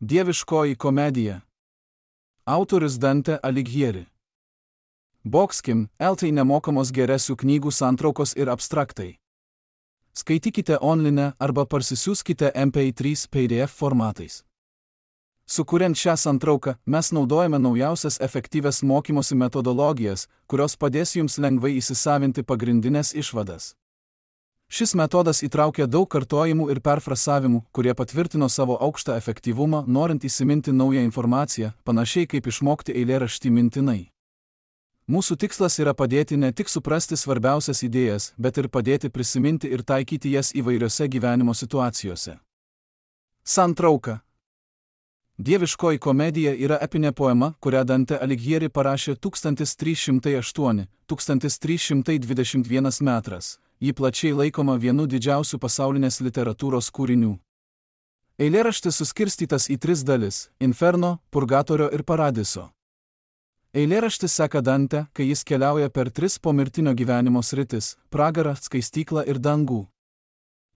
Dieviškoji komedija. Autorius Dante Alighieri. Boxkim, LT nemokamos geresių knygų santraukos ir abstraktai. Skaitykite online arba parsisiųskite MP3 PDF formatais. Sukuriant šią santrauką, mes naudojame naujausias efektyvias mokymosi metodologijas, kurios padės jums lengvai įsisavinti pagrindinės išvadas. Šis metodas įtraukia daug kartojimų ir perfrasavimų, kurie patvirtino savo aukštą efektyvumą, norint įsiminti naują informaciją, panašiai kaip išmokti eilėraštį mintinai. Mūsų tikslas yra padėti ne tik suprasti svarbiausias idėjas, bet ir padėti prisiminti ir taikyti jas įvairiose gyvenimo situacijose. Santrauka. Dieviškoji komedija yra epinė poema, kurią Dante Alighieri parašė 1308–1321 metras. Ji plačiai laikoma vienu didžiausių pasaulinės literatūros kūrinių. Eilėraštis suskirstytas į 3 dalis – Inferno, Purgatorio ir Paradiso. Eilėraštis seka Dante, kai jis keliauja per 3 pomirtinio gyvenimo sritis – pragarą, skaistyklą ir dangų.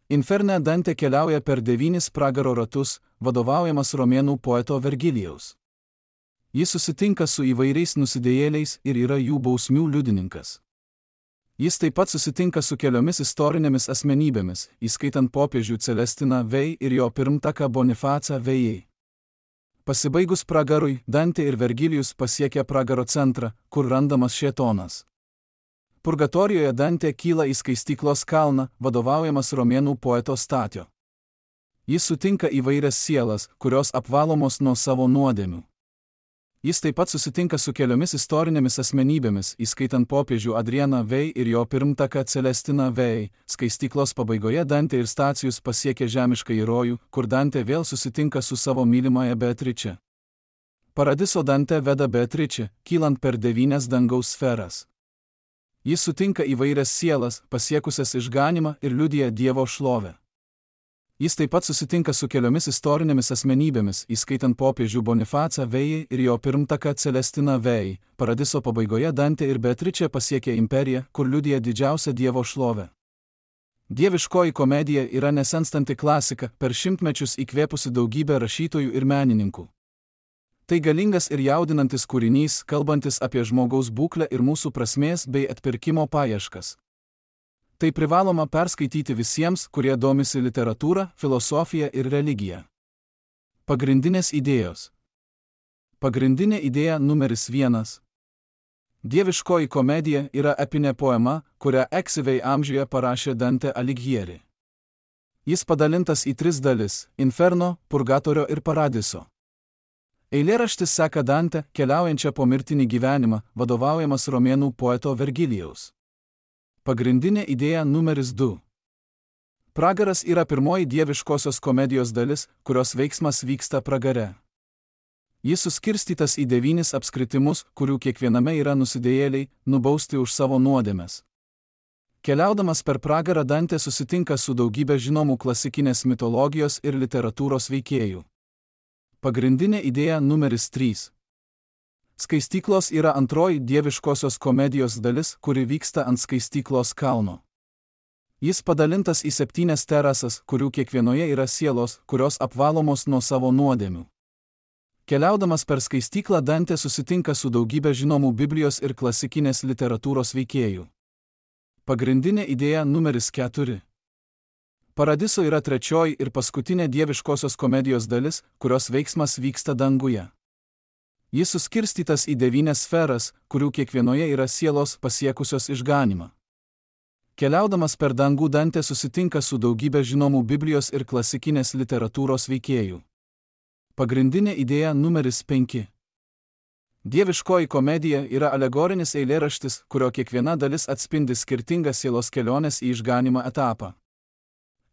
Inferne Dante keliauja per 9 pragaro ratus, vadovaujamas romėnų poeto Vergilijaus. Jis susitinka su įvairiais nusidėjėliais ir yra jų bausmių liudininkas. Jis taip pat susitinka su keliomis istorinėmis asmenybėmis, įskaitant popiežių Celestiną Vei ir jo pirmtaką Bonifacą Vejai. Pasibaigus pragarui, Dante ir Vergilijus pasiekia pragaro centrą, kur randamas šėtonas. Purgatorijoje Dante kyla į skaistyklos kalną, vadovaujamas romėnų poeto Statio. Jis sutinka įvairias sielas, kurios apvalomos nuo savo nuodėmių. Jis taip pat susitinka su keliomis istorinėmis asmenybėmis, įskaitant popiežių Adrianą Vei ir jo pirmtaką Celestiną Vei. Skaistyklos pabaigoje Dante ir Stacijus pasiekia žemiškąjį rojų, kur Dante vėl susitinka su savo mylimąja Beatriče. Paradiso Dante veda Beatričę, kylant per 9 dangaus sferas. Jis sutinka įvairias sielas, pasiekusias išganymą ir liudija Dievo šlovę. Jis taip pat susitinka su keliomis istorinėmis asmenybėmis, įskaitant popiežių Bonifacą Vei ir jo pirmtaką Celestiną Vei. Paradiso pabaigoje Dante ir Beatričė pasiekia imperiją, kur liudija didžiausią Dievo šlovę. Dieviškoji komedija yra nesenstanti klasika, per šimtmečius įkvėpusi daugybę rašytojų ir menininkų. Tai galingas ir jaudinantis kūrinys, kalbantis apie žmogaus būklę ir mūsų prasmės bei atpirkimo paieškas. Tai privaloma perskaityti visiems, kurie domisi literatūra, filosofija ir religija. Pagrindinės idėjos. Pagrindinė idėja numeris 1. Dieviškoji komedija yra epinė poema, kurią eksyviai amžiuje parašė Dante Alighieri. Jis padalintas į 3 dalis – Inferno, Purgatorio ir Paradiso. Eilėraštis seka Dante, keliaujančią po mirtinį gyvenimą, vadovaujamas romėnų poeto Vergilijaus. Pagrindinė idėja numeris 2. Pragaras yra pirmoji dieviškosios komedijos dalis, kurios veiksmas vyksta pragare. Jis suskirstytas į 9 apskritimus, kurių kiekviename yra nusidėjėliai, nubausti už savo nuodėmes. Keliaudamas per pragarą Dante susitinka su daugybė žinomų klasikinės mitologijos ir literatūros veikėjų. Pagrindinė idėja numeris 3. Skaistyklos yra antroji dieviškosios komedijos dalis, kuri vyksta ant skaistyklos kalno. Jis padalintas į 7 terasas, kurių kiekvienoje yra sielos, kurios apvalomos nuo savo nuodėmių. Keliaudamas per skaistyklą Dante susitinka su daugybė žinomų Biblijos ir klasikinės literatūros veikėjų. Pagrindinė idėja numeris 4. Paradiso yra trečioji ir paskutinė dieviškosios komedijos dalis, kurios veiksmas vyksta danguje. Jis suskirstytas į 9 sferas, kurių kiekvienoje yra sielos pasiekusios išganymą. Keliaudamas per dangų Dante susitinka su daugybė žinomų Biblijos ir klasikinės literatūros veikėjų. Pagrindinė idėja numeris 5. Dieviškoji komedija yra alegorinis eilėraštis, kurio kiekviena dalis atspindi skirtingą sielos kelionės į išganymą etapą.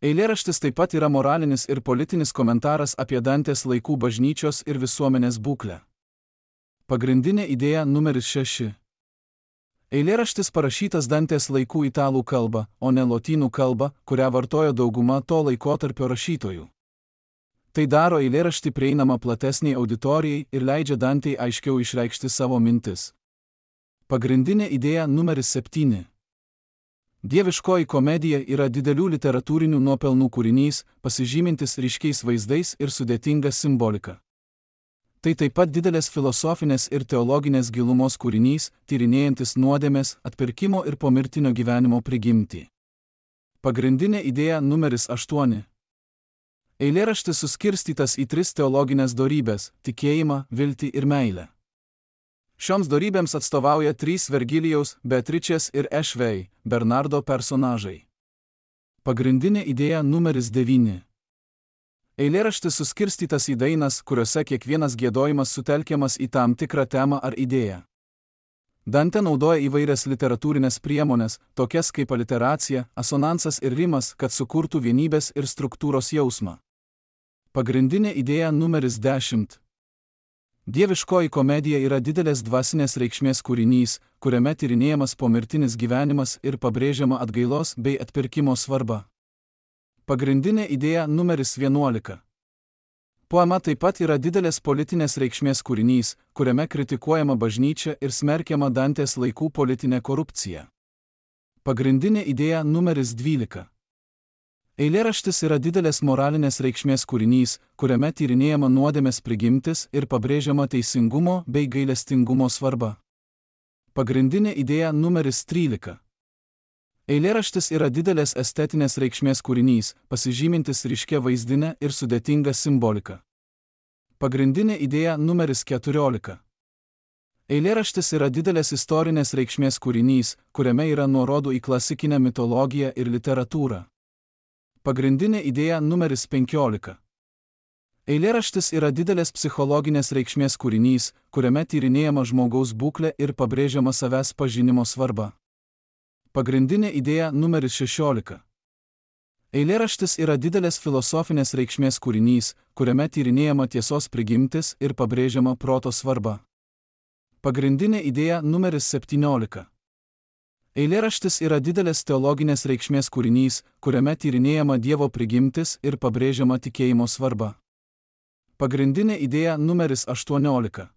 Eilėraštis taip pat yra moralinis ir politinis komentaras apie Dantės laikų bažnyčios ir visuomenės būklę. Pagrindinė idėja numeris 6. Eilėraštis parašytas Dantės laikų italų kalba, o ne lotynų kalba, kurią vartojo dauguma to laikotarpio rašytojų. Tai daro eilėraštį prieinamą platesniai auditorijai ir leidžia Dantei aiškiau išreikšti savo mintis. Pagrindinė idėja numeris 7. Dieviškoji komedija yra didelių literatūrinių nuopelnų kūrinys, pasižymintis ryškiais vaizdais ir sudėtinga simbolika. Tai taip pat didelės filosofinės ir teologinės gilumos kūrinys, tyrinėjantis nuodėmės, atpirkimo ir pomirtinio gyvenimo prigimtį. Pagrindinė idėja numeris 8. Eilėraštis suskirstytas į 3 teologinės dorybės – tikėjimą, viltį ir meilę. Šioms dorybėms atstovauja 3 Vergilijaus, Beatričės ir Ešvei, Bernardo personažai. Pagrindinė idėja numeris 9. Eilėraštis suskirstytas į dainas, kuriuose kiekvienas giedojimas sutelkiamas į tam tikrą temą ar idėją. Dante naudoja įvairias literatūrinės priemonės, tokias kaip aliteracija, asonansas ir rimas, kad sukurtų vienybės ir struktūros jausmą. Pagrindinė idėja numeris 10. Dieviškoji komedija yra didelės dvasinės reikšmės kūrinys, kuriame tyrinėjamas pomirtinis gyvenimas ir pabrėžiama atgailos bei atpirkimo svarba. Pagrindinė idėja numeris 11. Poema taip pat yra didelės politinės reikšmės kūrinys, kuriame kritikuojama bažnyčia ir smerkiama Dantės laikų politinė korupcija. Pagrindinė idėja numeris 12. Eilėraštis yra didelės moralinės reikšmės kūrinys, kuriame tyrinėjama nuodėmės prigimtis ir pabrėžiama teisingumo bei gailestingumo svarba. Pagrindinė idėja numeris 13. Eilėraštis yra didelės estetinės reikšmės kūrinys, pasižymintis ryškia vaizdinė ir sudėtinga simbolika. Pagrindinė idėja numeris 14. Eilėraštis yra didelės istorinės reikšmės kūrinys, kuriame yra nuorodų į klasikinę mitologiją ir literatūrą. Pagrindinė idėja numeris 15. Eilėraštis yra didelės psichologinės reikšmės kūrinys, kuriame tyrinėjama žmogaus būklė ir pabrėžiama savęs pažinimo svarba. Pagrindinė idėja numeris 16. Eilėraštis yra didelės filosofinės reikšmės kūrinys, kuriame tyrinėjama tiesos prigimtis ir pabrėžiama proto svarba. Pagrindinė idėja numeris 17. Eilėraštis yra didelės teologinės reikšmės kūrinys, kuriame tyrinėjama Dievo prigimtis ir pabrėžiama tikėjimo svarba. Pagrindinė idėja numeris 18.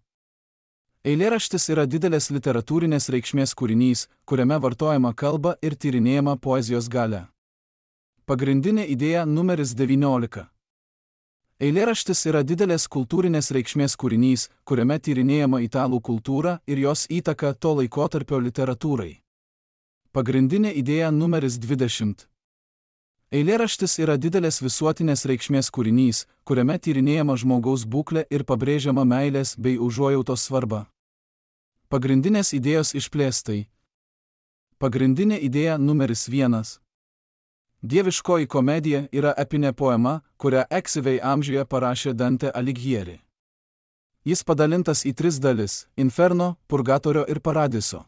Eilėraštis yra didelės literatūrinės reikšmės kūrinys, kuriame vartojama kalba ir tyrinėjama poezijos galia. Pagrindinė idėja numeris 19. Eilėraštis yra didelės kultūrinės reikšmės kūrinys, kuriame tyrinėjama italų kultūra ir jos įtaka to laikotarpio literatūrai. Pagrindinė idėja numeris 20. Eilėraštis yra didelės visuotinės reikšmės kūrinys, kuriame tyrinėjama žmogaus būklė ir pabrėžiama meilės bei užuojautos svarba. Pagrindinės idėjos išplėstai. Pagrindinė idėja numeris 1. Dieviškoji komedija yra epinė poema, kurią Eksivei amžiuje parašė Dante Alighieri. Jis padalintas į 3 dalis – Inferno, Purgatorio ir Paradiso.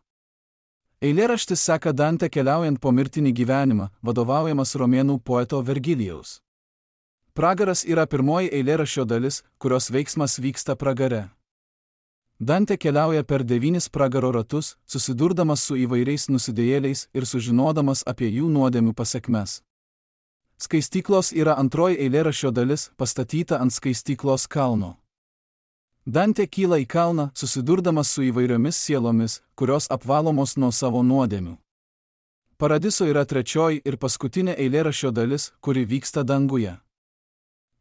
Eilėraštis seka Dante keliaujant po mirtinį gyvenimą, vadovaujamas romėnų poeto Vergilijaus. Pragaras yra pirmoji eilėraščio dalis, kurios veiksmas vyksta pragare. Dante keliauja per 9 pragaro ratus, susidurdamas su įvairiais nusidėjėliais ir sužinodamas apie jų nuodėmių pasekmes. Skaistyklos yra antroji eilėraščio dalis, pastatyta ant skaistyklos kalno. Dante kyla į kalną, susidurdamas su įvairiomis sielomis, kurios apvalomos nuo savo nuodėmių. Paradiso yra trečioji ir paskutinė eilėraščio dalis, kuri vyksta danguje.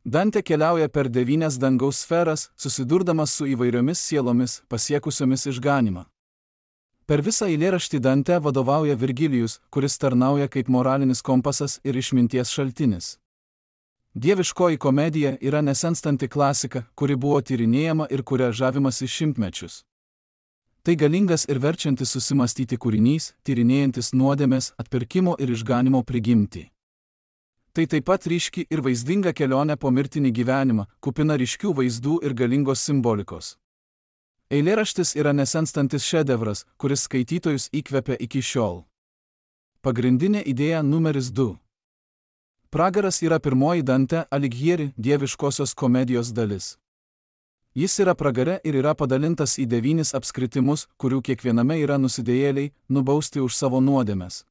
Dante keliauja per 9 dangaus sferas, susidurdamas su įvairiomis sielomis, pasiekusiomis išganymą. Per visą eilėraštį Dante vadovauja Virgilijus, kuris tarnauja kaip moralinis kompasas ir išminties šaltinis. Dieviškoji komedija yra nesenstanti klasika, kuri buvo tyrinėjama ir kuria žavimasi šimtmečius. Tai galingas ir verčiantis susimastyti kūrinys, tyrinėjantis nuodėmės, atpirkimo ir išganimo prigimtį. Tai taip pat ryški ir vaizdinga kelionė po mirtinį gyvenimą, kupina ryškių vaizdų ir galingos simbolikos. Eilėraštis yra nesenstantis šedevras, kuris skaitytojus įkvepia iki šiol. Pagrindinė idėja numeris 2. Pragaras yra pirmoji Dante Alighieri dieviškosios komedijos dalis. Jis yra pragare ir yra padalintas į 9 apskritimus, kurių kiekviename yra nusidėjėliai, nubausti už savo nuodėmes.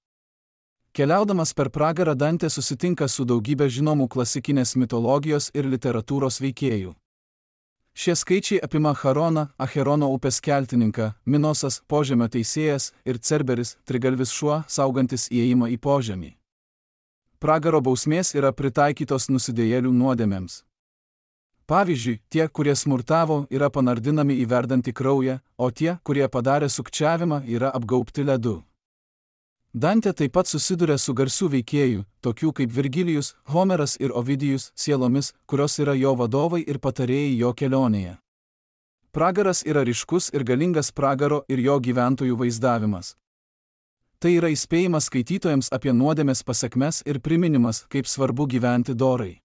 Keliaudamas per pragarą Dante susitinka su daugybė žinomų klasikinės mitologijos ir literatūros veikėjų. Šie skaičiai apima Charoną, Acherono upės keltininką, Minosas, požemio teisėjas ir Cerberis, trigalvis šuo, saugantis įėjimą į požemį. Pragaro bausmės yra pritaikytos nusidėjėlių nuodėmėms. Pavyzdžiui, tie, kurie smurtavo, yra panardinami į verdantį kraują, o tie, kurie padarė sukčiavimą, yra apgaubti ledu. Dantė taip pat susiduria su garsių veikėjų, tokių kaip Virgilijus, Homeras ir Ovidijus, sielomis, kurios yra jo vadovai ir patarėjai jo kelionėje. Pragaras yra ryškus ir galingas pragaro ir jo gyventojų vaizdavimas. Tai yra įspėjimas skaitytojams apie nuodėmės pasekmes ir priminimas, kaip svarbu gyventi dorai.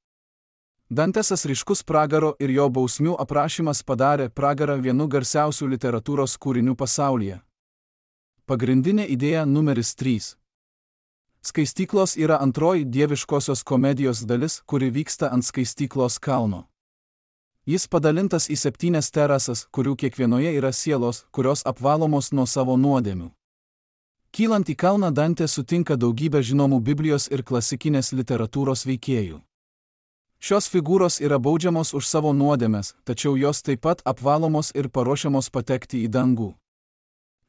Dantesas ryškus pragaro ir jo bausmių aprašymas padarė pragarą vienu garsiausių literatūros kūrinių pasaulyje. Pagrindinė idėja numeris 3. Skaistyklos yra antroji dieviškosios komedijos dalis, kuri vyksta ant skaistyklos kalno. Jis padalintas į 7 terasas, kurių kiekvienoje yra sielos, kurios apvalomos nuo savo nuodėmių. Kylant į kalną Dantė sutinka daugybę žinomų Biblijos ir klasikinės literatūros veikėjų. Šios figūros yra baudžiamos už savo nuodėmes, tačiau jos taip pat apvalomos ir paruošiamos patekti į dangų.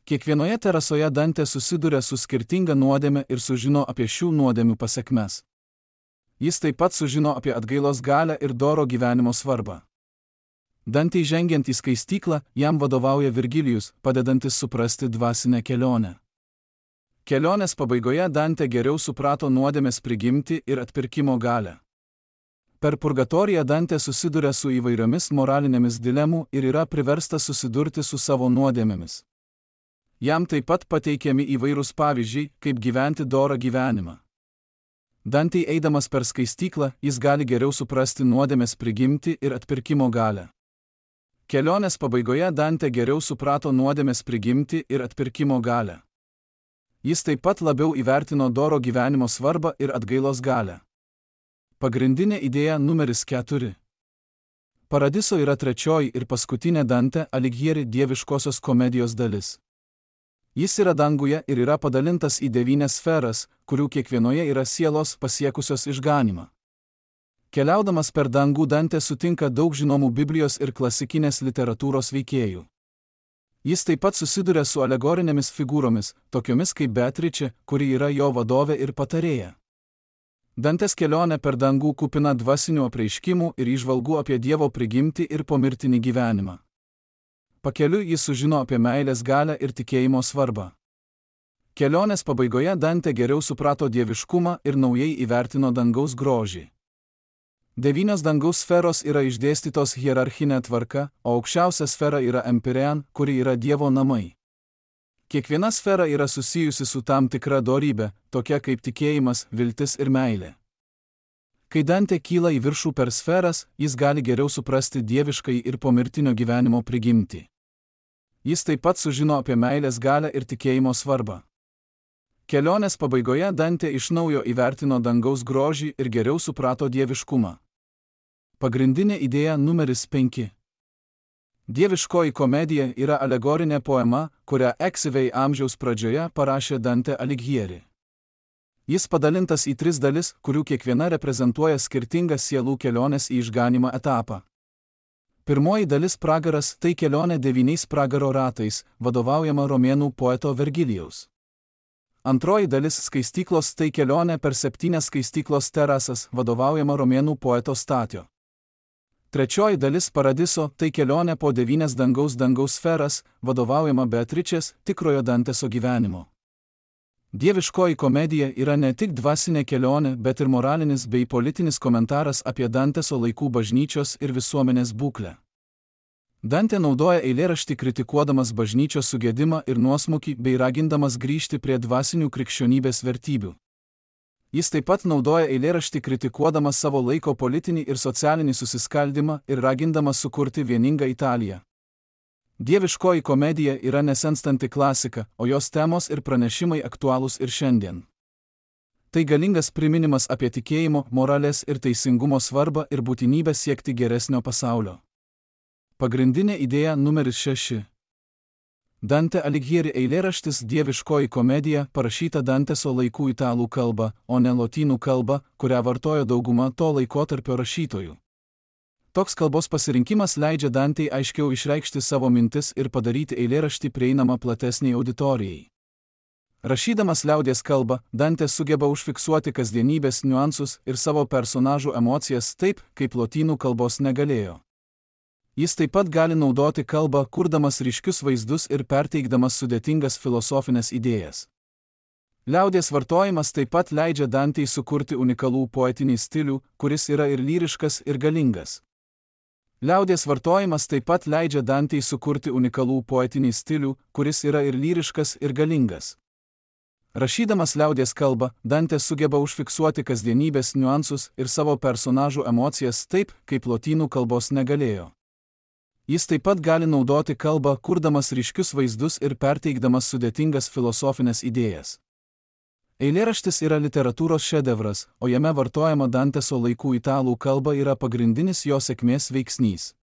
Kiekvienoje terasoje Dantė susiduria su skirtinga nuodėme ir sužino apie šių nuodėmių pasekmes. Jis taip pat sužino apie atgailos galią ir doro gyvenimo svarbą. Dantei žengiant į skaistyklą, jam vadovauja Virgilijus, padedantis suprasti dvasinę kelionę. Kelionės pabaigoje Dantė geriau suprato nuodėmės prigimtį ir atpirkimo galią. Per purgatoriją Dantė susiduria su įvairiomis moralinėmis dilemų ir yra priverstas susidurti su savo nuodėmėmis. Jam taip pat pateikiami įvairūs pavyzdžiai, kaip gyventi dorą gyvenimą. Dantei eidamas per skaistyklą, jis gali geriau suprasti nuodėmės prigimtį ir atpirkimo galią. Kelionės pabaigoje Dantė geriau suprato nuodėmės prigimtį ir atpirkimo galią. Jis taip pat labiau įvertino doro gyvenimo svarbą ir atgailos galią. Pagrindinė idėja numeris 4. Paradiso yra trečioji ir paskutinė Dante Alighieri dieviškosios komedijos dalis. Jis yra danguje ir yra padalintas į 9 sferas, kurių kiekvienoje yra sielos pasiekusios išganymą. Keliaudamas per dangų Dantė sutinka daug žinomų Biblijos ir klasikinės literatūros veikėjų. Jis taip pat susiduria su alegorinėmis figūromis, tokiomis kaip Beatričė, kuri yra jo vadovė ir patarėja. Dantės kelionė per dangų kupina dvasinių apreiškimų ir įžvalgų apie Dievo prigimtį ir pomirtinį gyvenimą. Pakeliui jis sužino apie meilės galią ir tikėjimo svarbą. Kelionės pabaigoje Dantė geriau suprato dieviškumą ir naujai įvertino dangaus grožį. 9 dangaus sferos yra išdėstytos hierarchinė tvarka, o aukščiausia sfera yra Empyrean, kuri yra Dievo namai. Kiekviena sfera yra susijusi su tam tikra dorybė, tokia kaip tikėjimas, viltis ir meilė. Kai Dantė kyla į viršų per sferas, jis gali geriau suprasti dieviškai ir pomirtinio gyvenimo prigimtį. Jis taip pat sužino apie meilės galią ir tikėjimo svarbą. Kelionės pabaigoje Dantė iš naujo įvertino dangaus grožį ir geriau suprato dieviškumą. Pagrindinė idėja numeris 5. Dieviškoji komedija yra alegorinė poema, kurią XV amžiaus pradžioje parašė Dante Alighieri. Jis padalintas į 3 dalis, kurių kiekviena reprezentuoja skirtingą sielų kelionės į išganymą etapą. Pirmoji dalis pragaras - tai kelionė 9 pragaro ratais, vadovaujama romėnų poeto Vergilijaus. Antroji dalis skaistyklos - tai kelionė per 7 skaistyklos terasas, vadovaujama romėnų poeto Statio. Trečioji dalis paradiso - tai kelionė po 9 dangaus sferas, vadovaujama Beatričės, tikrojo Danteso gyvenimo. Dieviškoji komedija yra ne tik dvasinė kelionė, bet ir moralinis bei politinis komentaras apie Danteso laikų bažnyčios ir visuomenės būklę. Dantė naudoja eilėraštį kritikuodamas bažnyčios sugedimą ir nuosmukį bei ragindamas grįžti prie dvasinių krikščionybės vertybių. Jis taip pat naudoja eilėraštį kritikuodamas savo laiko politinį ir socialinį susiskaldimą ir ragindamas sukurti vieningą Italiją. Dieviškoji komedija yra nesenstanti klasika, o jos temos ir pranešimai aktualūs ir šiandien. Tai galingas priminimas apie tikėjimo, moralės ir teisingumo svarbą ir būtinybę siekti geresnio pasaulio. Pagrindinė idėja numeris 6. Dante Alighieri eilėraštis Dieviškoji komedija parašyta Danteso laikų italų kalba, o ne lotynų kalba, kurią vartojo dauguma to laikotarpio rašytojų. Toks kalbos pasirinkimas leidžia Dantei aiškiau išreikšti savo mintis ir padaryti eilėraštį prieinamą platesniai auditorijai. Rašydamas liaudies kalbą, Dantė sugeba užfiksuoti kasdienybės niuansus ir savo personažų emocijas taip, kaip lotynų kalbos negalėjo. Jis taip pat gali naudoti kalbą, kurdamas ryškius vaizdus ir perteikdamas sudėtingas filosofinės idėjas. Liaudies vartojimas taip pat leidžia Dantei sukurti unikalų poetinį stilių, kuris yra ir lyriškas, ir galingas. Liaudies vartojimas taip pat leidžia Dantei sukurti unikalų poetinį stilių, kuris yra ir lyriškas, ir galingas. Rašydamas liaudies kalbą, Dantė sugeba užfiksuoti kasdienybės niuansus ir savo personažų emocijas taip, kaip lotynų kalbos negalėjo. Jis taip pat gali naudoti kalbą, kurdamas ryškius vaizdus ir perteikdamas sudėtingas filosofinės idėjas. Eilėraštis yra literatūros šedevras, o jame vartojama Danteso laikų italų kalba yra pagrindinis jo sėkmės veiksnys.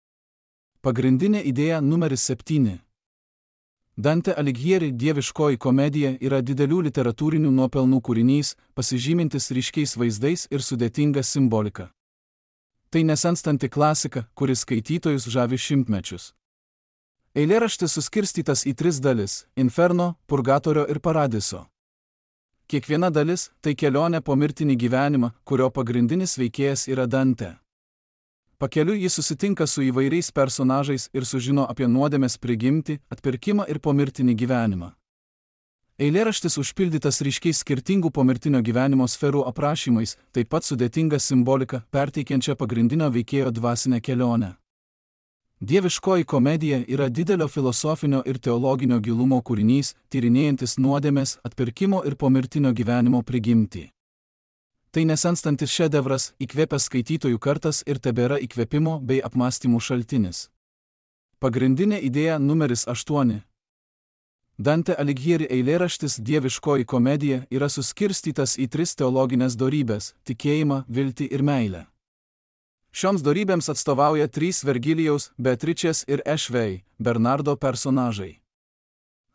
Pagrindinė idėja numeris 7. Dante Alighieri Dieviškoji komedija yra didelių literatūrinių nuopelnų kūrinys, pasižymintis ryškiais vaizdais ir sudėtinga simbolika. Tai nesenstanti klasika, kuris skaitytojus žavi šimtmečius. Eilėraštis suskirstytas į 3 dalis – Inferno, Purgatorio ir Paradiso. Kiekviena dalis – tai kelionė po mirtinį gyvenimą, kurio pagrindinis veikėjas yra Dante. Pakeliui jis susitinka su įvairiais personažais ir sužino apie nuodėmės prigimtį, atpirkimą ir pomirtinį gyvenimą. Eilėraštis užpildytas ryškiais skirtingų pomirtinio gyvenimo sferų aprašymais, taip pat sudėtinga simbolika, perteikiančia pagrindinio veikėjo dvasinę kelionę. Dieviškoji komedija yra didelio filosofinio ir teologinio gilumo kūrinys, tyrinėjantis nuodėmės, atpirkimo ir pomirtinio gyvenimo prigimtį. Tai nesenstantis šedevras, įkvėpęs skaitytojų kartas ir tebėra įkvėpimo bei apmąstymų šaltinis. Pagrindinė idėja numeris 8. Dante Alighieri eilėraštis Dieviškoji komedija yra suskirstytas į 3 teologinės dorybės – tikėjimą, viltį ir meilę. Šioms dorybėms atstovauja 3 Vergilijaus, Beatričės ir Ešvei, Bernardo personažai.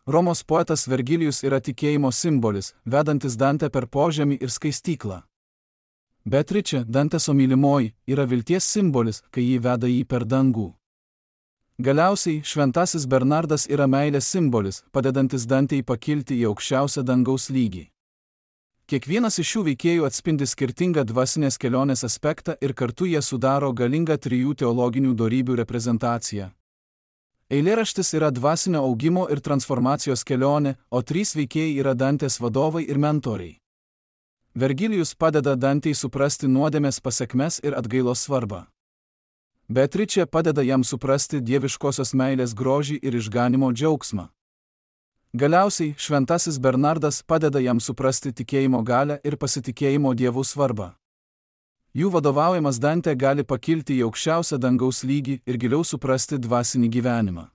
Romos poetas Vergilijus yra tikėjimo simbolis, vedantis Dante per požemį ir skaistyklą. Beatričė, Danteso mylimoji, yra vilties simbolis, kai jį veda jį per dangų. Galiausiai, šventasis Bernardas yra meilės simbolis, padedantis Dantei pakilti į aukščiausią dangaus lygį. Kiekvienas iš šių veikėjų atspindi skirtingą dvasinės kelionės aspektą ir kartu jie sudaro galingą 3 teologinių dorybių reprezentaciją. Eilėraštis yra dvasinio augimo ir transformacijos kelionė, o 3 veikėjai yra Dantės vadovai ir mentoriai. Vergilijus padeda Dantei suprasti nuodėmės pasekmes ir atgailos svarbą. Beatričė padeda jam suprasti dieviškosios meilės grožį ir išganimo džiaugsmą. Galiausiai, šventasis Bernardas padeda jam suprasti tikėjimo galią ir pasitikėjimo Dievu svarbą. Jų vadovaujamas Dante gali pakilti į aukščiausią dangaus lygį ir giliau suprasti dvasinį gyvenimą.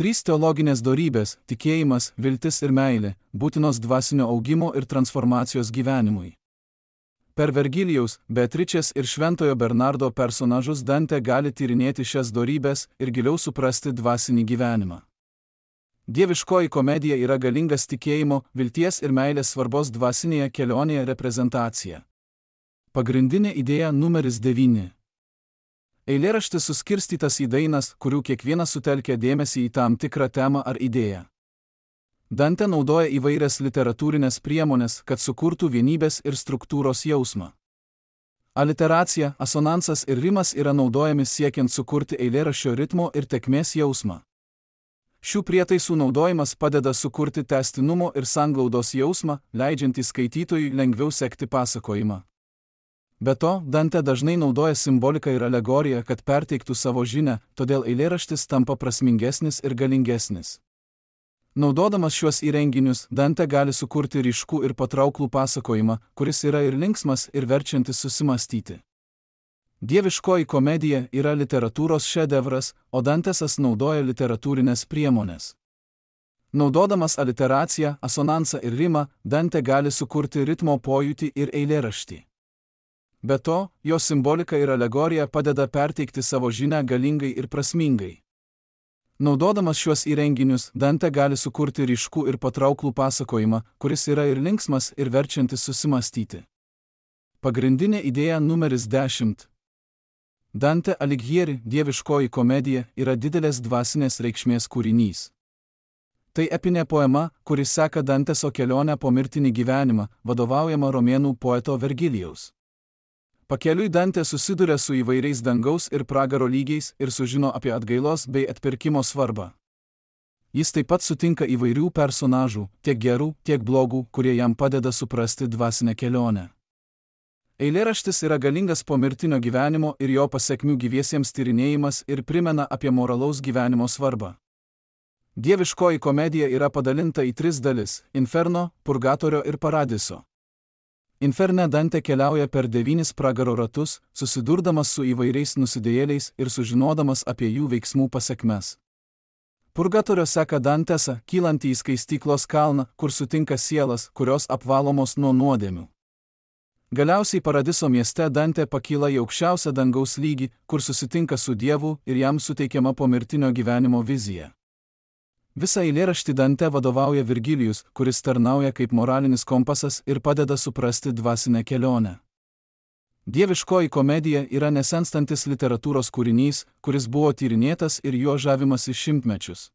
3 teologinės dorybės – tikėjimas, viltis ir meilė – būtinos dvasinio augimo ir transformacijos gyvenimui. Per Vergilijaus, Beatričės ir Šventojo Bernardo personažus Dante gali tyrinėti šias dorybės ir giliau suprasti dvasinį gyvenimą. Dieviškoji komedija yra galingas tikėjimo, vilties ir meilės svarbos dvasinėje kelionėje reprezentacija. Pagrindinė idėja numeris 9. Eilėraštis suskirstytas į dainas, kurių kiekvienas sutelkia dėmesį į tam tikrą temą ar idėją. Dante naudoja įvairias literatūrinės priemonės, kad sukurtų vienybės ir struktūros jausmą. Aliteracija, asonansas ir rimas yra naudojami siekiant sukurti eilėraščio ritmo ir tėkmės jausmą. Šių prietaisų naudojimas padeda sukurti tęstinumo ir sanglaudos jausmą, leidžiantį skaitytojui lengviau sekti pasakojimą. Be to, Dante dažnai naudoja simboliką ir alegoriją, kad perteiktų savo žinią, todėl eilėraštis tampa prasmingesnis ir galingesnis. Naudodamas šiuos įrenginius, Dante gali sukurti ryškų ir patrauklų pasakojimą, kuris yra ir linksmas, ir verčiantis susimąstyti. Dieviškoji komedija yra literatūros šedevras, o Dantesas naudoja literatūrinės priemonės. Naudodamas aliteraciją, asonansą ir rimą, Dante gali sukurti ritmo pojūtį ir eilėraštį. Be to, jo simbolika ir alegorija padeda perteikti savo žinią galingai ir prasmingai. Naudodamas šiuos įrenginius, Dante gali sukurti ryškų ir patrauklų pasakojimą, kuris yra ir linksmas, ir verčiantis susimąstyti. Pagrindinė idėja numeris 10. Dante Alighieri Dieviškoji komedija yra didelės dvasinės reikšmės kūrinys. Tai epinė poema, kuris seka Danteso kelionę po mirtinį gyvenimą, vadovaujama romėnų poeto Vergilijaus. Pakeliui Dantė susiduria su įvairiais dangaus ir pragaro lygiais ir sužino apie atgailos bei atpirkimo svarbą. Jis taip pat sutinka įvairių personažų, tiek gerų, tiek blogų, kurie jam padeda suprasti dvasinę kelionę. Eilėraštis yra galingas pomirtinio gyvenimo ir jo pasekmių gyviesiems tyrinėjimas ir primena apie moralaus gyvenimo svarbą. Dieviškoji komedija yra padalinta į 3 dalis – Inferno, Purgatorio ir Paradiso. Inferne Dantė keliauja per 9 pragaro ratus, susidurdamas su įvairiais nusidėjėliais ir sužinodamas apie jų veiksmų pasekmes. Purgatorio seka Dantesą, kylantį į skaistyklos kalną, kur sutinka sielas, kurios apvalomos nuo nuodėmių. Galiausiai Paradiso mieste Dantė pakyla į aukščiausią dangaus lygį, kur susitinka su Dievu ir jam suteikiama pomirtinio gyvenimo vizija. Visą eilėraštį Dantė vadovauja Virgilijus, kuris tarnauja kaip moralinis kompasas ir padeda suprasti dvasinę kelionę. Dieviškoji komedija yra nesenstantis literatūros kūrinys, kuris buvo tyrinėtas ir juo žavimasi šimtmečius.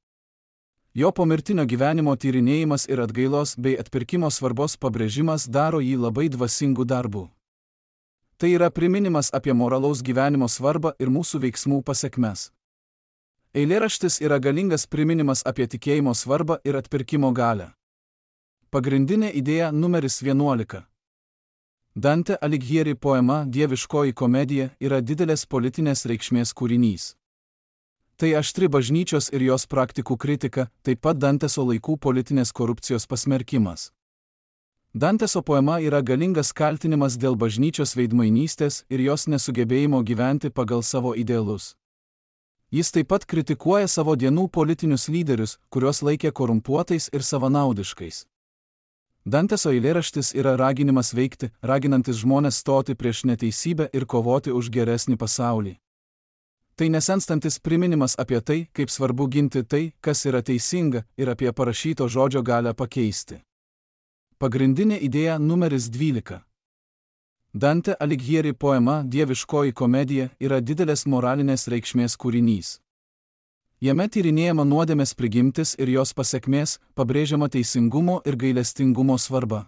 Jo pomirtinio gyvenimo tyrinėjimas ir atgailos bei atpirkimo svarbos pabrėžimas daro jį labai dvasingų darbų. Tai yra priminimas apie moralaus gyvenimo svarbą ir mūsų veiksmų pasekmes. Eilėraštis yra galingas priminimas apie tikėjimo svarbą ir atpirkimo galią. Pagrindinė idėja numeris 11. Dante Alighieri poema Dieviškoji komedija yra didelės politinės reikšmės kūrinys. Tai aštri bažnyčios ir jos praktikų kritika, taip pat Danteso laikų politinės korupcijos pasmerkimas. Danteso poema yra galingas kaltinimas dėl bažnyčios veidmainystės ir jos nesugebėjimo gyventi pagal savo idealus. Jis taip pat kritikuoja savo dienų politinius lyderius, kuriuos laikė korumpuotais ir savanaudiškais. Danteso eilėraštis yra raginimas veikti, raginantis žmones stoti prieš neteisybę ir kovoti už geresnį pasaulį. Tai nesenstantis priminimas apie tai, kaip svarbu ginti tai, kas yra teisinga, ir apie parašyto žodžio galią pakeisti. Pagrindinė idėja numeris 12. Dante Alighieri poema Dieviškoji komedija yra didelės moralinės reikšmės kūrinys. Jame tyrinėjama nuodėmės prigimtis ir jos pasekmės, pabrėžiama teisingumo ir gailestingumo svarba.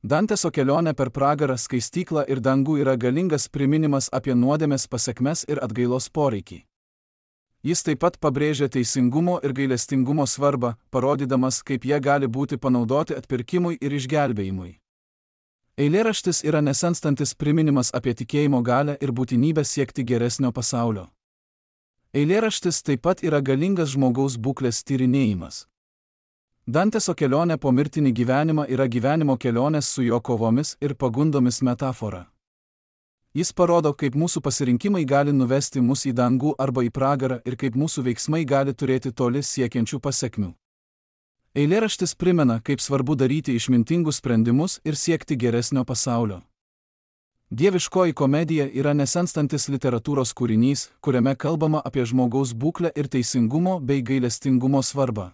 Danteso kelionė per pragarą, skaistyklą ir dangų yra galingas priminimas apie nuodėmės pasekmes ir atgailos poreikį. Jis taip pat pabrėžia teisingumo ir gailestingumo svarbą, parodydamas, kaip jie gali būti panaudoti atpirkimui ir išgelbėjimui. Eilėraštis yra nesenstantis priminimas apie tikėjimo galią ir būtinybę siekti geresnio pasaulio. Eilėraštis taip pat yra galingas žmogaus būklės tyrinėjimas. Danteso kelionė po mirtinį gyvenimą yra gyvenimo kelionės su jo kovomis ir pagundomis metafora. Jis parodo, kaip mūsų pasirinkimai gali nuvesti mus į dangų arba į pragarą ir kaip mūsų veiksmai gali turėti toli siekiančių pasekmių. Eilėraštis primena, kaip svarbu daryti išmintingus sprendimus ir siekti geresnio pasaulio. Dieviškoji komedija yra nesenstantis literatūros kūrinys, kuriame kalbama apie žmogaus būklę ir teisingumo bei gailestingumo svarbą.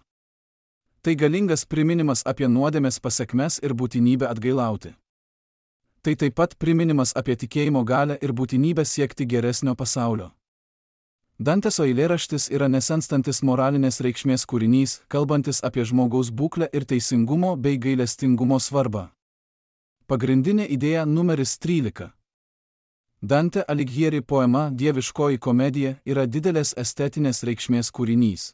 Tai galingas priminimas apie nuodėmės pasekmes ir būtinybę atgailauti. Tai taip pat priminimas apie tikėjimo galią ir būtinybę siekti geresnio pasaulio. Danteso eilėraštis yra nesenstantis moralinės reikšmės kūrinys, kalbantis apie žmogaus būklę ir teisingumo bei gailestingumo svarbą. Pagrindinė idėja numeris 13. Dante Alighieri poema Dieviškoji komedija yra didelės estetinės reikšmės kūrinys.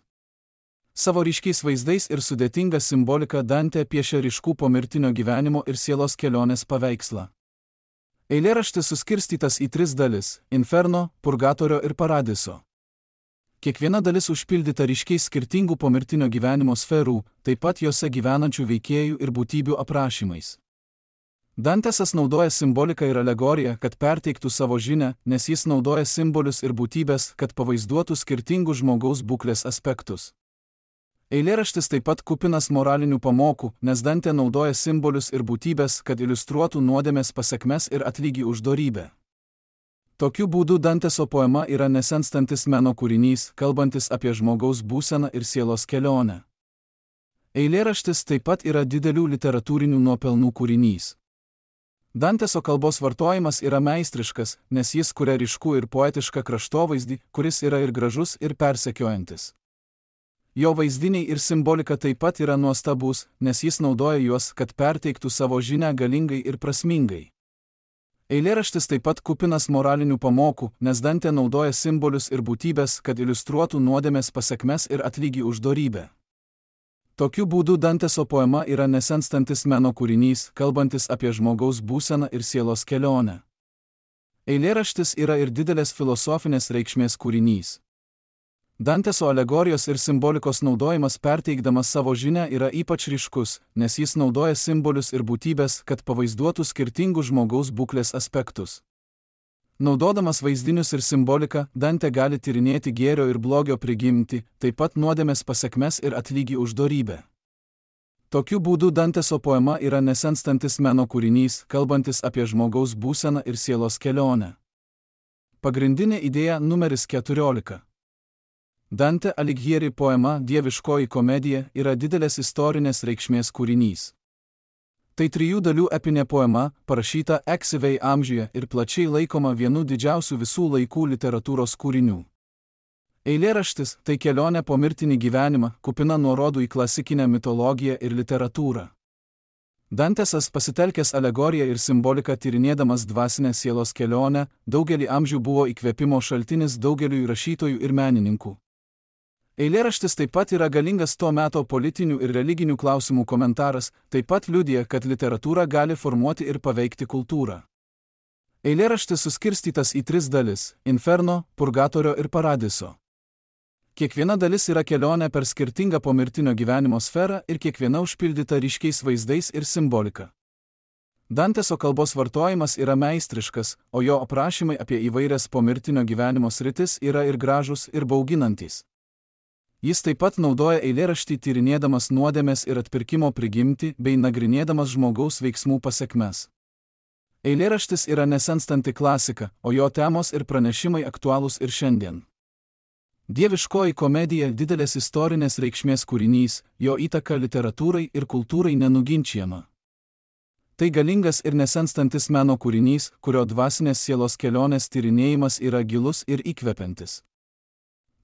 Savo ryškiais vaizdais ir sudėtinga simbolika Dante piešia ryškų pomirtinio gyvenimo ir sielos kelionės paveikslą. Eilėraštis suskirstytas į 3 dalis – Inferno, Purgatorio ir Paradiso. Kiekviena dalis užpildyta ryškiais skirtingų pomirtinio gyvenimo sferų, taip pat jose gyvenančių veikėjų ir būtybių aprašymais. Dantesas naudoja simboliką ir alegoriją, kad perteiktų savo žinią, nes jis naudoja simbolius ir būtybės, kad pavaizduotų skirtingus žmogaus būklės aspektus. Eilėraštis taip pat kupinas moralinių pamokų, nes Dantė naudoja simbolius ir būtybės, kad iliustruotų nuodėmės pasekmes ir atlygį už dorybę. Tokiu būdu Danteso poema yra nesenstantis meno kūrinys, kalbantis apie žmogaus būseną ir sielos kelionę. Eilėraštis taip pat yra didelių literatūrinių nuopelnų kūrinys. Danteso kalbos vartojimas yra meistriškas, nes jis kuria ryškų ir poetišką kraštovaizdį, kuris yra ir gražus, ir persekiojantis. Jo vaizdiniai ir simbolika taip pat yra nuostabus, nes jis naudoja juos, kad perteiktų savo žinią galingai ir prasmingai. Eilėraštis taip pat kupinas moralinių pamokų, nes Dantė naudoja simbolius ir būtybės, kad iliustruotų nuodėmės pasekmes ir atlygį už dorybę. Tokiu būdu Danteso poema yra nesenstantis meno kūrinys, kalbantis apie žmogaus būseną ir sielos kelionę. Eilėraštis yra ir didelės filosofinės reikšmės kūrinys. Danteso alegorijos ir simbolikos naudojimas perteikdamas savo žinią yra ypač ryškus, nes jis naudoja simbolius ir būtybės, kad pavaizduotų skirtingus žmogaus būklės aspektus. Naudodamas vaizdinius ir simboliką, Dantė gali tyrinėti gėrio ir blogio prigimtį, taip pat nuodėmės pasekmes ir atlygį už dorybę. Tokiu būdu Danteso poema yra nesenstantis meno kūrinys, kalbantis apie žmogaus būseną ir sielos kelionę. Pagrindinė idėja numeris 14. Dante Alighieri poema Dieviškoji komedija yra didelės istorinės reikšmės kūrinys. Tai 3 dalių epinė poema, parašyta ankstyvai amžiuje ir plačiai laikoma vienu didžiausių visų laikų literatūros kūrinių. Eilėraštis tai kelionė po mirtinį gyvenimą, kupina nuorodų į klasikinę mitologiją ir literatūrą. Dantesas pasitelkęs alegoriją ir simboliką tyrinėdamas dvasinę sielos kelionę, daugelį amžių buvo įkvėpimo šaltinis daugeliui rašytojų ir menininkų. Eilėraštis taip pat yra galingas to meto politinių ir religinių klausimų komentaras, taip pat liudija, kad literatūra gali formuoti ir paveikti kultūrą. Eilėraštis suskirstytas į 3 dalis – Inferno, Purgatorio ir Paradiso. Kiekviena dalis yra kelionė per skirtingą pomirtinio gyvenimo sferą ir kiekviena užpildyta ryškiais vaizdais ir simbolika. Danteso kalbos vartojimas yra meistriškas, o jo aprašymai apie įvairias pomirtinio gyvenimo sritis yra ir gražus, ir bauginantys. Jis taip pat naudoja eilėraštį tyrinėdamas nuodėmės ir atpirkimo prigimtį bei nagrinėdamas žmogaus veiksmų pasekmes. Eilėraštis yra nesenstanti klasika, o jo temos ir pranešimai aktualūs ir šiandien. Dieviškoji komedija didelės istorinės reikšmės kūrinys, jo įtaka literatūrai ir kultūrai nenuginčiama. Tai galingas ir nesenstantis meno kūrinys, kurio dvasinės sielos kelionės tyrinėjimas yra gilus ir įkvepiantis.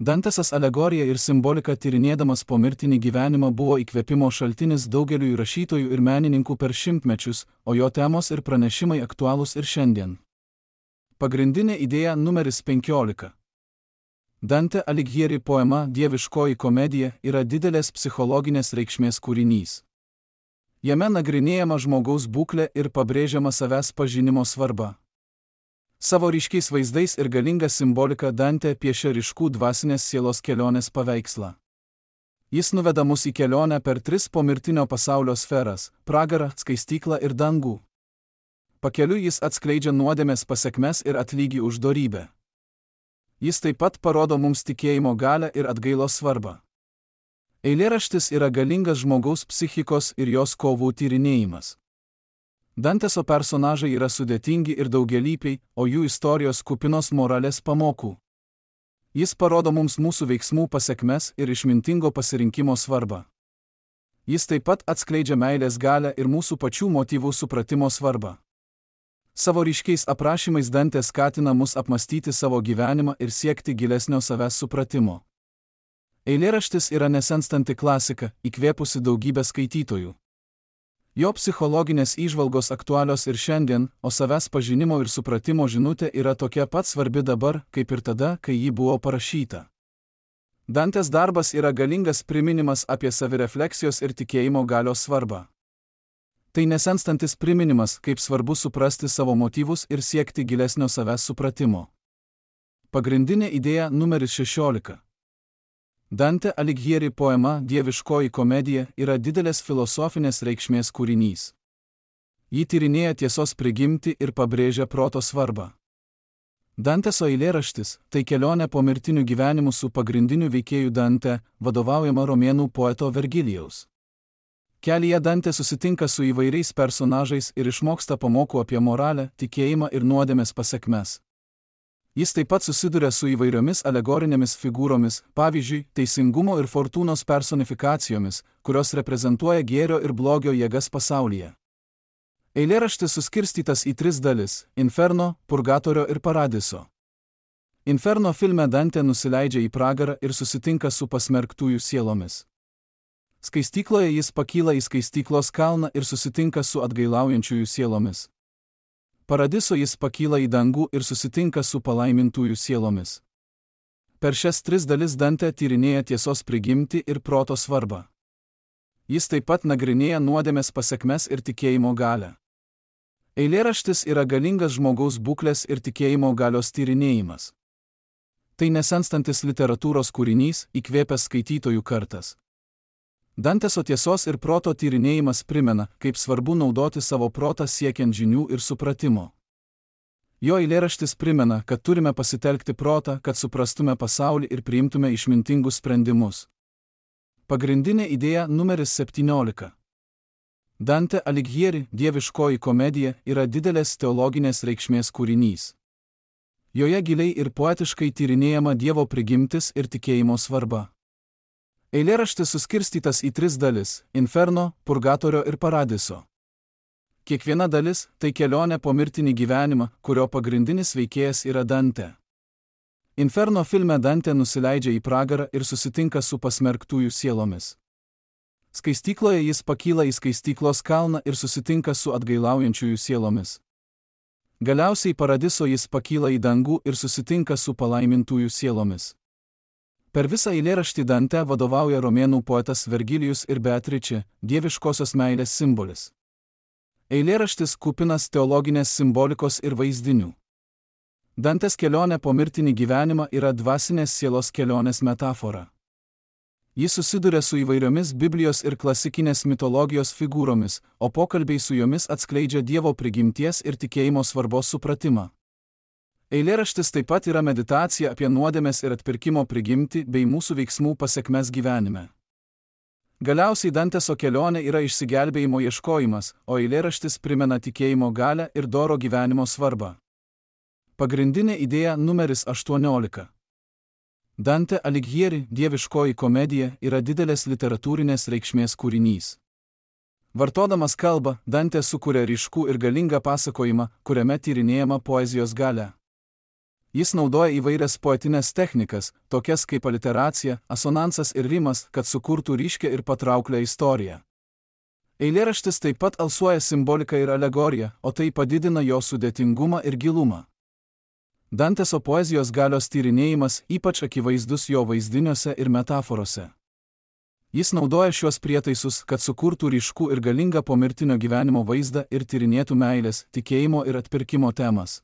Dantesas alegoriją ir simboliką tyrinėdamas pomirtinį gyvenimą buvo įkvėpimo šaltinis daugeliui rašytojų ir menininkų per šimtmečius, o jo temos ir pranešimai aktualūs ir šiandien. Pagrindinė idėja numeris 15. Dante Alighieri poema Dieviškoji komedija yra didelės psichologinės reikšmės kūrinys. Jame nagrinėjama žmogaus būklė ir pabrėžiama savęs pažinimo svarba. Savo ryškiais vaizdais ir galinga simbolika Dante piešia ryškų dvasinės sielos kelionės paveikslą. Jis nuveda mus į kelionę per 3 pomirtinio pasaulio sferas – pragarą, skaistyklą ir dangų. Pakeliui jis atskleidžia nuodėmės pasekmes ir atlygį už dorybę. Jis taip pat parodo mums tikėjimo galią ir atgailos svarbą. Eilėraštis yra galingas žmogaus psichikos ir jos kovų tyrinėjimas. Danteso personažai yra sudėtingi ir daugialypiai, o jų istorijos kupinos moralės pamokų. Jis parodo mums mūsų veiksmų pasekmes ir išmintingo pasirinkimo svarbą. Jis taip pat atskleidžia meilės galią ir mūsų pačių motyvų supratimo svarbą. Savo ryškiais aprašymais Dantė skatina mus apmastyti savo gyvenimą ir siekti gilesnio savęs supratimo. Eilėraštis yra nesenstanti klasika, įkvėpusi daugybę skaitytojų. Jo psichologinės įžvalgos aktualios ir šiandien, o savęs pažinimo ir supratimo žinutė yra tokia pat svarbi dabar, kaip ir tada, kai ji buvo parašyta. Dantės darbas yra galingas priminimas apie savirefleksijos ir tikėjimo galios svarbą. Tai nesenstantis priminimas, kaip svarbu suprasti savo motyvus ir siekti gilesnio savęs supratimo. Pagrindinė idėja numeris 16. Dante Alighieri poema Dieviškoji komedija yra didelės filosofinės reikšmės kūrinys. Ji tyrinėja tiesos prigimtį ir pabrėžia proto svarbą. Danteso eilėraštis tai kelionė po mirtinių gyvenimų su pagrindiniu veikėju Dante, vadovaujama romėnų poeto Vergilijaus. Kelyje Dante susitinka su įvairiais personažais ir išmoksta pamokų apie moralę, tikėjimą ir nuodėmės pasekmes. Jis taip pat susiduria su įvairiomis alegorinėmis figūromis, pavyzdžiui, teisingumo ir fortūnos personifikacijomis, kurios reprezentuoja gėrio ir blogio jėgas pasaulyje. Eilėraštis suskirstytas į 3 dalis – Inferno, Purgatorio ir Paradiso. Inferno filme Dante nusileidžia į pragarą ir susitinka su pasmerktųjų sielomis. Skaistykloje jis pakyla į skaistyklos kalną ir susitinka su atgailaujančiųjų sielomis. Paradiso jis pakyla į dangų ir susitinka su palaimintųjų sielomis. Per šias 3 dalis Dantė tyrinėja tiesos prigimtį ir proto svarbą. Jis taip pat nagrinėja nuodėmės pasekmes ir tikėjimo galią. Eilėraštis yra galingas žmogaus būklės ir tikėjimo galios tyrinėjimas. Tai nesenstantis literatūros kūrinys, įkvėpęs skaitytojų kartas. Danteso tiesos ir proto tyrinėjimas primena, kaip svarbu naudoti savo protą siekiant žinių ir supratimo. Jo eilėraštis primena, kad turime pasitelkti protą, kad suprastume pasaulį ir priimtume išmintingus sprendimus. Pagrindinė idėja numeris 17. Dante Alighieri, dieviškoji komedija, yra didelės teologinės reikšmės kūrinys. Joje giliai ir poetiškai tyrinėjama Dievo prigimtis ir tikėjimo svarba. Eilėraštis suskirstytas į 3 dalis – Inferno, Purgatorio ir Paradiso. Kiekviena dalis – tai kelionė po mirtinį gyvenimą, kurio pagrindinis veikėjas yra Dante. Inferno filme Dante nusileidžia į pragarą ir susitinka su pasmerktųjų sielomis. Skaistykloje jis pakyla į skaistyklos kalną ir susitinka su atgailaujančiųjų sielomis. Galiausiai Paradiso jis pakyla į dangų ir susitinka su palaimintųjų sielomis. Per visą eilėraštį Dante vadovauja romėnų poetas Vergilijus ir Beatričė, dieviškosios meilės simbolis. Eilėraštis kupinas teologinės simbolikos ir vaizdinių. Dantes kelionė po mirtinį gyvenimą yra dvasinės sielos kelionės metafora. Jis susiduria su įvairiomis Biblijos ir klasikinės mitologijos figūromis, o pokalbiai su jomis atskleidžia Dievo prigimties ir tikėjimo svarbos supratimą. Eilėraštis taip pat yra meditacija apie nuodėmės ir atpirkimo prigimtį bei mūsų veiksmų pasekmes gyvenime. Galiausiai Danteso kelionė yra išsigelbėjimo ieškojimas, o eilėraštis primena tikėjimo galią ir doro gyvenimo svarbą. Pagrindinė idėja numeris 18. Dante Alighieri, dieviškoji komedija, yra didelės literatūrinės reikšmės kūrinys. Vartodamas kalbą, Dante sukuria ryškų ir galingą pasakojimą, kuriame tyrinėjama poezijos galia. Jis naudoja įvairias poetinės technikas, tokias kaip aliteracija, asonansas ir rimas, kad sukurtų ryškią ir patrauklią istoriją. Eilėraštis taip pat alsuoja simboliką ir alegoriją, o tai padidina jo sudėtingumą ir gilumą. Danteso poezijos galios tyrinėjimas ypač akivaizdus jo vaizdiniuose ir metaforose. Jis naudoja šiuos prietaisus, kad sukurtų ryškų ir galingą pomirtinio gyvenimo vaizdą ir tyrinėtų meilės, tikėjimo ir atpirkimo temas.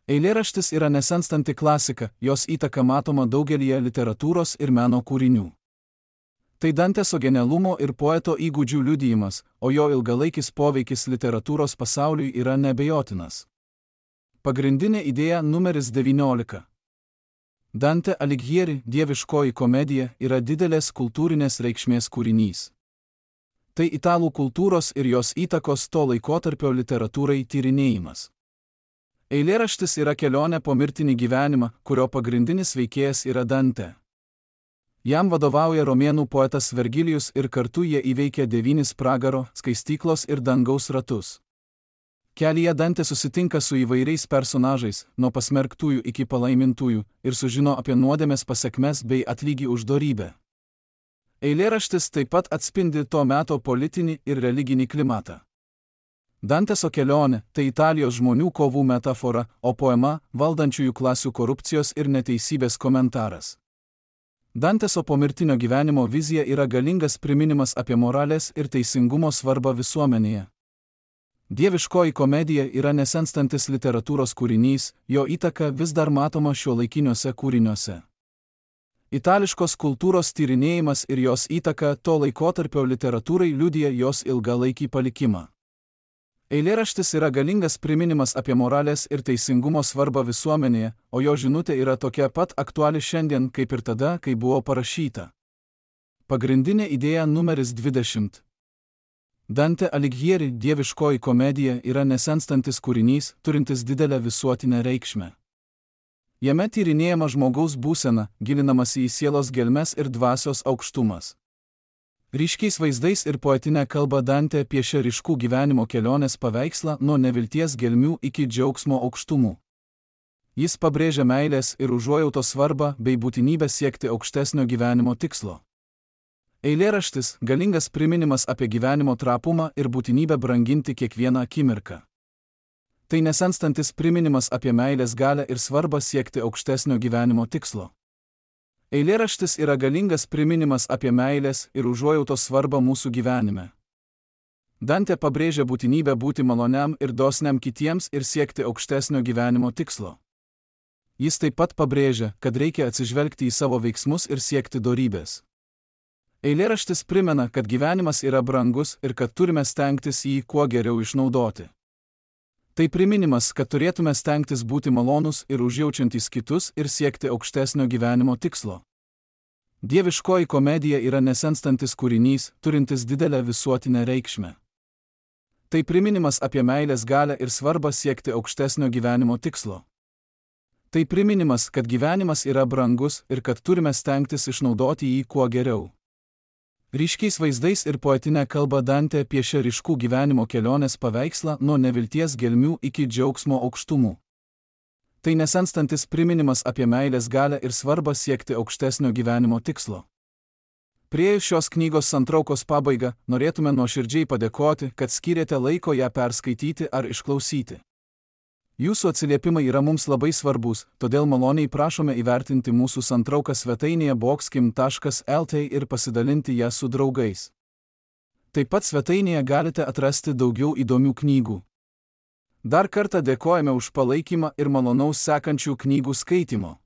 Eilėraštis yra nesenstanti klasika, jos įtaka matoma daugelyje literatūros ir meno kūrinių. Tai Danteso genialumo ir poeto įgūdžių liudijimas, o jo ilgalaikis poveikis literatūros pasauliui yra neabejotinas. Pagrindinė idėja numeris 19. Dante Alighieri, dieviškoji komedija, yra didelės kultūrinės reikšmės kūrinys. Tai italų kultūros ir jos įtakos to laikotarpio literatūrai tyrinėjimas. Eilėraštis yra kelionė po mirtinį gyvenimą, kurio pagrindinis veikėjas yra Dante. Jam vadovauja romėnų poetas Vergilijus ir kartu jie įveikia 9 pragaro, skaistyklos ir dangaus ratus. Kelyje Dante susitinka su įvairiais personažais, nuo pasmerktųjų iki palaimintųjų, ir sužino apie nuodėmės pasekmes bei atlygį už dorybę. Eilėraštis taip pat atspindi to meto politinį ir religinį klimatą. Danteso kelionė – tai Italijos žmonių kovų metafora, o poema – valdančiųjų klasių korupcijos ir neteisybės komentaras. Danteso pomirtinio gyvenimo vizija yra galingas priminimas apie moralės ir teisingumo svarbą visuomenėje. Dieviškoji komedija yra nesenstantis literatūros kūrinys, jo įtaka vis dar matoma šiuolaikiniuose kūriniuose. Itališkos kultūros tyrinėjimas ir jos įtaka to laikotarpio literatūrai liudija jos ilgalaikį palikimą. Eilėraštis yra galingas priminimas apie moralės ir teisingumo svarbą visuomenėje, o jo žinutė yra tokia pat aktuali šiandien kaip ir tada, kai buvo parašyta. Pagrindinė idėja numeris 20. Dante Alighieri, dieviškoji komedija, yra nesenstantis kūrinys, turintis didelę visuotinę reikšmę. Jame tyrinėjama žmogaus būsena, gilinamasi į sielos gelmes ir dvasios aukštumas. Ryškiais vaizdais ir poetinė kalba Dante piešia ryškų gyvenimo kelionės paveikslą nuo nevilties gelmių iki džiaugsmo aukštumų. Jis pabrėžia meilės ir užuojautos svarbą bei būtinybę siekti aukštesnio gyvenimo tikslo. Eilėraštis – galingas priminimas apie gyvenimo trapumą ir būtinybę branginti kiekvieną akimirką. Tai nesenstantis priminimas apie meilės galią ir svarbą siekti aukštesnio gyvenimo tikslo. Eilėraštis yra galingas priminimas apie meilės ir užuojautos svarbą mūsų gyvenime. Dantė pabrėžia būtinybę būti maloniam ir dosniam kitiems ir siekti aukštesnio gyvenimo tikslo. Jis taip pat pabrėžia, kad reikia atsižvelgti į savo veiksmus ir siekti dorybės. Eilėraštis primena, kad gyvenimas yra brangus ir kad turime stengtis jį kuo geriau išnaudoti. Tai priminimas, kad turėtume stengtis būti malonūs ir užjaučiantys kitus ir siekti aukštesnio gyvenimo tikslo. Dieviškoji komedija yra nesenstantis kūrinys, turintis didelę visuotinę reikšmę. Tai priminimas apie meilės galią ir svarbą siekti aukštesnio gyvenimo tikslo. Tai priminimas, kad gyvenimas yra brangus ir kad turime stengtis išnaudoti jį kuo geriau. Ryškiais vaizdais ir poetinė kalba Dantė piešia ryškų gyvenimo kelionės paveikslą nuo nevilties gelmių iki džiaugsmo aukštumų. Tai nesenstantis priminimas apie meilės galią ir svarbą siekti aukštesnio gyvenimo tikslo. Priėjus šios knygos santraukos pabaigą, norėtume nuoširdžiai padėkoti, kad skyrėte laiko ją perskaityti ar išklausyti. Jūsų atsiliepimai yra mums labai svarbus, todėl maloniai prašome įvertinti mūsų santrauką svetainėje boxkim.lt ir pasidalinti ją su draugais. Taip pat svetainėje galite atrasti daugiau įdomių knygų. Dar kartą dėkojame už palaikymą ir malonaus sekančių knygų skaitymo.